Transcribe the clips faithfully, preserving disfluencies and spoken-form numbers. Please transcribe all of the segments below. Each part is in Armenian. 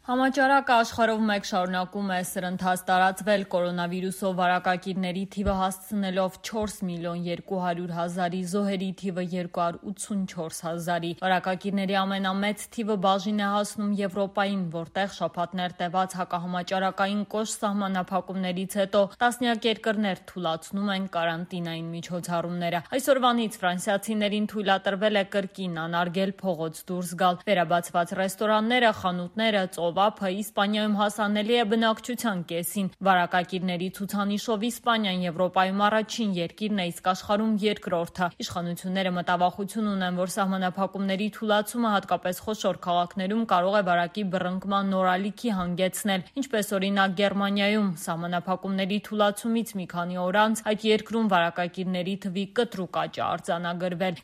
Համաճարակը աշխարհով մեկ շարունակում է սրընթաց տարածվել կորոնավիրուսով վարակակիրների թիվը հասցնելով չորս միլիոն երկու հարյուր հազարի, զոհերի թիվը երկու հարյուր ութսունչորս հազարի։ Վարակակիրների ամենամեծ թիվը բաժին է հասնում Եվրոպային, որտեղ շաբաթներ տևած հակահամաճարակային կոշտ սահմանափակումներից հետո տասնյակ երկրներ թուլացնում են կարանտինային միջոցառումները։ Այսօրվանից ֆրանսիացիներին թույլատրվել է կրկին անարգել փողոց դուրս գալ։ Վերաբացված ռեստորանները, խանութները, ծովափը Իսպանիայում հասանելի է բնակչության կեսին։ Վարակակիրների ցուցանիշով Իսպանիան Եվրոպայում առաջին երկիրն է, իսկ աշխարհում երկրորդը։ Իշխանությունները մտավախություն ունեն, որ սահմանափակումների թուլացումը հատկապես խոշոր քաղաքներում կարող է վարակի բռնկման նոր ալիքի հանգեցնել, ինչպես օրինակ Գերմանիայում։ Սահմանափակումների թուլացումից մի քանի օր անց այդ երկրում վարակակիրների թվի կտրուկ աճ է արձանագրվել։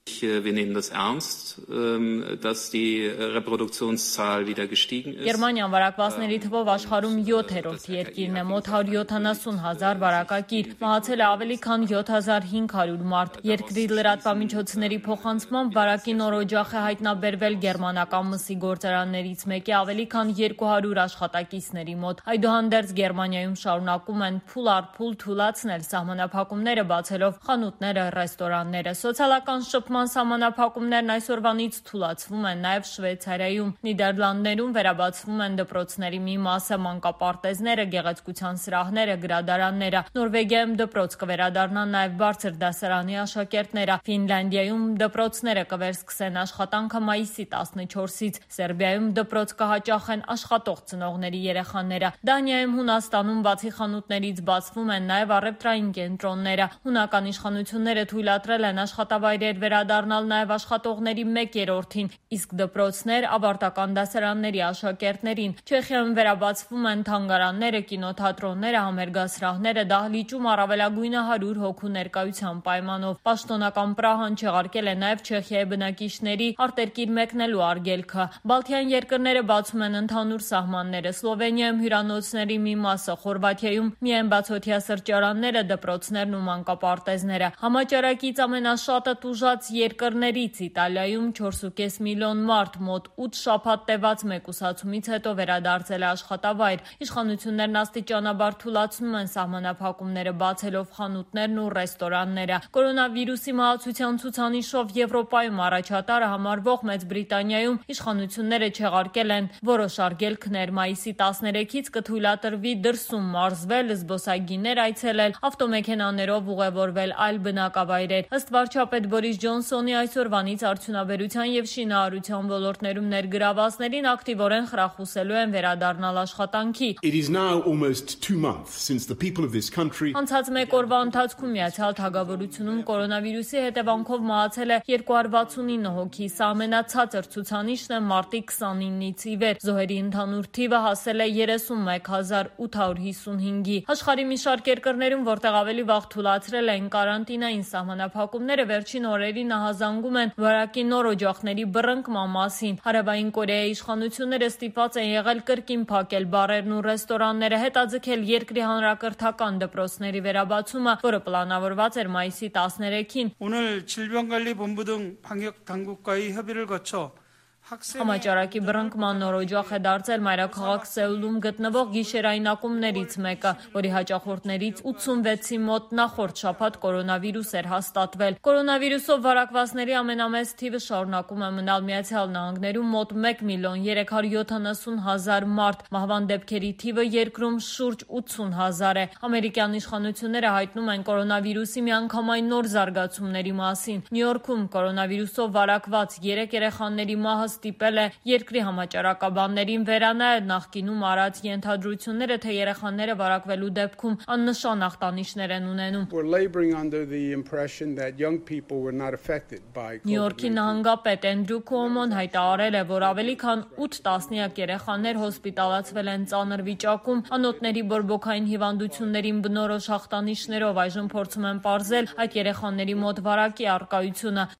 Wir nehmen das ernst, dass die Reproduktionszahl wieder gestiegen ist. Գերմանիան վարակվածների թվով աշխարհում յոթերորդ երկիրն է, մոտ հարյուր յոթանասուն հազար վարակակիր, մահացել է ավելի քան յոթ հազար հինգ հարյուր մարդ։ Երկրի լրատվամիջոցների փոխանցմամբ վարակի նոր օջախ է հայտնաբերվել գերմանական մսի գործարաններից մեկի ավելի քան երկու հարյուր աշխատակիցների մոտ։ Այդուհանդերձ Գերմանիայում շարունակում են փուլ առ փուլ թուլացնել սահմանափակումները, բացելով խանութները, ռեստորանները։ Սոցիալական շփման սահմանափակումներն այսօրվանից թուլացվում են նաև Շվեյցարիայում, Նիդերլանդներում վերաբացվում են դպրոցների մի մասը, մանկապարտեզները, գեղեցկության սրահները, գրադարանները։ Նորվեգիայում դպրոց կվերադառնան նաև բարձր դասարանի աշակերտները։ Ֆինլանդիայում դպրոցները կվերսկսեն աշխատանքը մայիսի տասնչորսից։ Սերբիայում դպրոց կհաճախեն աշխատող ծնողների երեխաները։ Դանիայում, Հունաստանում բացի խանութներից բացվում են նաև առևտրային կենտրոնները։ Հունական իշխանությունները թույլատրել են աշխատավայրեր վերադառնալ նաև աշխատողների մեկ երրորդին, իսկ դպրոցներ ավարտական դասարանների աշակերտներին։ Չեխիայում վերաբացվում են թանգարանները, կինոթատրոնները, համերգասրահները, դահլիճում առավելագույնը հարյուր հոգու ներկայության պայմանով։ Պաշտոնական Պրահան չեղարկել է նաև Չեխիայի բնակիչների արտերկիր մեկնելու արգելքը։ Բալթյան երկրները բացում են ընդհանուր սահմանները։ Սլովենիայում հյուրանոցների մի մասը, Խորվաթիայում միայն բացօթյա սրճարանները, դպրոցներն ու մանկապարտեզները։ Համաճարակից ամենաշատը տուժած երկրներից Իտալիայում չորս ու կես միլիոն մարդ մոտ ութ շաբաթ տևած մեկուսացումից հետո վերադարձել է աշխատավայր։ Իշխանություններն աստիճանաբար թուլացնում են սահմանափակումները, բացելով խանութներն ու ռեստորանները։ Կորոնավիրուսի մահացության ցուցանիշով Եվրոպայում առաջատարը համարվող Մեծ Բրիտանիայում իշխանությունները չեղարկել են որոշ արգելքներ։ Մայիսի տասներեքից կթույլատրվի դրսում մարզվել, զբոսայգիներ այցելել, ավտոմեքենաներով ուղևորվել այլ բնակավայրեր։ Ըստ վարչապետ Բորիս Ջոնսոնի այսօրվանից արդյունաբերության եւ շինարարության ոլորտներում ներգրավվածներին ակտիվորեն խրախուսելու են վերադառնալ աշխատանքի։ Անցած մեկ օրվա ընթացքում Միացյալ Թագավորությունում կորոնավիրուսի հետևանքով մահացել է երկու հարյուր վաթսունինը հոգի, սա ամենացածր ցուցանիշն է մարտի քսանինից ի վեր։ Զոհերի ընդհանուր թիվը հասել է երեսունմեկ հազար ութ հարյուր հիսունհինգի։ Աշխարհի մի շարք երկրներում, որտեղ ավելի վաղ թուլացրել են կարանտինային սահմանափակումները, վերջին օրերին ահազանգում են վարակի նոր օջախների բռնկման մասին։ Հարավային Կորեայի իշխանությունները ստիպված են եղել կրկին փակել բարերն ու ռեստորանները, հետաձգել երկրի հանրակրթական դպրոցների վերաբացումը, որը պլանավորված էր մայիսի տասներեքին։ 오늘 질병관리본부 등 방역 당국과의 협의를 거쳐 Համաճարակի բռնկման նոր օջախ է դարձել մայրաքաղաք Սեուլում գտնվող գիշերային ակումբներից մեկը, որի հաճախորդներից ութսունվեցի մոտ նախորդ շաբաթ կորոնավիրուս էր հաստատվել։ Կորոնավիրուսով վարակվածների ամենամեծ թիվը շարունակում է մնալ Միացյալ Նահանգներում, մոտ մեկ միլիոն երեք հարյուր յոթանասուն հազար մարդ։ Մահվան դեպքերի թիվը երկրում շուրջ ութսուն հազար է։ Ամերիկյան իշխանությունները հայտնում են կորոնավիրուսի միանգամայն նոր զարգացումների մասին։ Նյու Յորքում կորոնավիրուսով վարակված երեք երեխաների մահը ստիպել է երկրի համաճարակաբաններին վերանայել նախկինում արած ենթադրությունները, թե երեխաները վարակվելու դեպքում աննշան ախտանիշներ են ունենում։ Նյու Յորքի նահանգապետ Էնդրյու Քուոմոն հայտարարել է, որ ավելի քան ութ տասնյակ երեխաներ հոսպիտալացվել են ծանր վիճակում, անոթների բորբոքային հիվանդություններին բնորոշ ախտանիշներով։ Այժմ փորձում են պարզել այդ երեխաների մոտ վարակի առկայությունը։